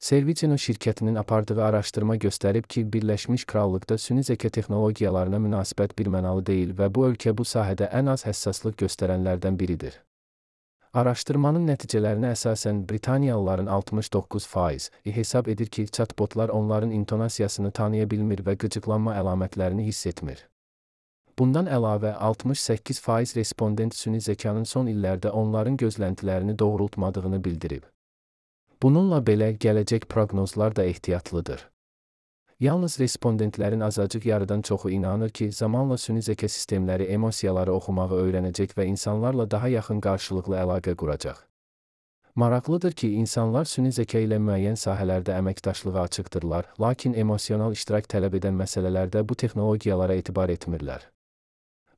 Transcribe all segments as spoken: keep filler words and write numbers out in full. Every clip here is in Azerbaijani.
Serviceno şirkətinin apardığı araşdırma göstərib ki, Birləşmiş Krallıqda süni zəka texnologiyalarına münasibət birmənalı deyil və bu ölkə bu sahədə ən az həssaslıq göstərənlərdən biridir. Araşdırmanın nəticələrinə əsasən Britaniyalıların altmış doqquz faizi hesab edir ki, chatbotlar onların intonasiyasını tanıya bilmir və qıcıqlanma əlamətlərini hiss etmir. Bundan əlavə, altmış səkkiz faiz respondent süni zəkanın son illərdə onların gözləntilərini doğrultmadığını bildirib. Bununla belə, gələcək proqnozlar da ehtiyatlıdır. Yalnız respondentlərin azacıq yarıdan çoxu inanır ki, zamanla süni zəka sistemləri emosiyaları oxumağı öyrənəcək və insanlarla daha yaxın qarşılıqlı əlaqə quracaq. Maraqlıdır ki, insanlar süni zəka ilə müəyyən sahələrdə əməkdaşlığa açıqdırlar, lakin emosional iştirak tələb edən məsələlərdə bu texnologiyalara etibar etmirlər.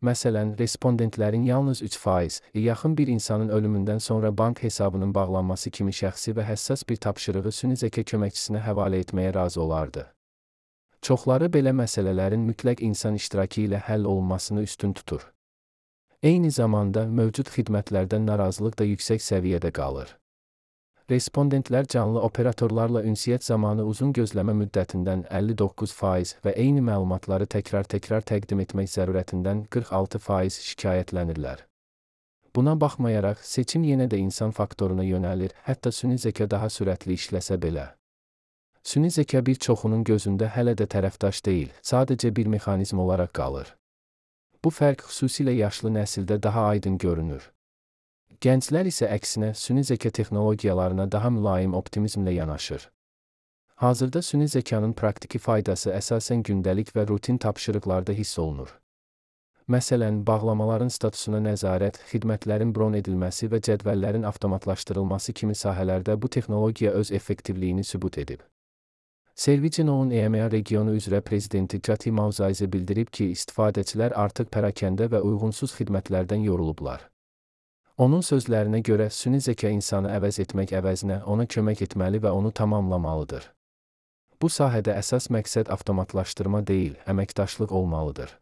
Məsələn, respondentlərin yalnız üç faizi yaxın bir insanın ölümündən sonra bank hesabının bağlanması kimi şəxsi və həssas bir tapşırığı süni zəka köməkçisinə həvalə etməyə razı olardı. Çoxları belə məsələlərin mütləq insan iştirakı ilə həll olunmasını üstün tutur. Eyni zamanda, mövcud xidmətlərdən narazılıq da yüksək səviyyədə qalır. Respondentlər canlı operatorlarla ünsiyyət zamanı uzun gözləmə müddətindən əlli doqquz faiz və eyni məlumatları təkrar-təkrar təqdim etmək zərurətindən qırx altı faiz şikayətlənirlər. Buna baxmayaraq, seçim yenə də insan faktoruna yönəlir, hətta süni zəka daha sürətli işləsə belə. Süni zəka bir çoxunun gözündə hələ də tərəfdaş deyil, sadəcə bir mexanizm olaraq qalır. Bu fərq xüsusilə yaşlı nəsildə daha aydın görünür. Gənclər isə əksinə süni zəka texnologiyalarına daha mülayim optimizmlə yanaşır. Hazırda süni zəkanın praktiki faydası əsasən gündəlik və rutin tapşırıqlarda hiss olunur. Məsələn, bağlamaların statusuna nəzarət, xidmətlərin bron edilməsi və cədvəllərin avtomatlaşdırılması kimi sahələrdə bu texnologiya öz effektivliyini sübut edib. Serviceno'nun E M E A regionu üzrə prezidenti Cathy Moussaise bildirib ki, istifadəçilər artıq pərakəndə və uyğunsuz xidmətlərdən yorulublar. Onun sözlərinə görə, süni zəka insanı əvəz etmək əvəzinə ona kömək etməli və onu tamamlamalıdır. Bu sahədə əsas məqsəd avtomatlaşdırma deyil, əməkdaşlıq olmalıdır.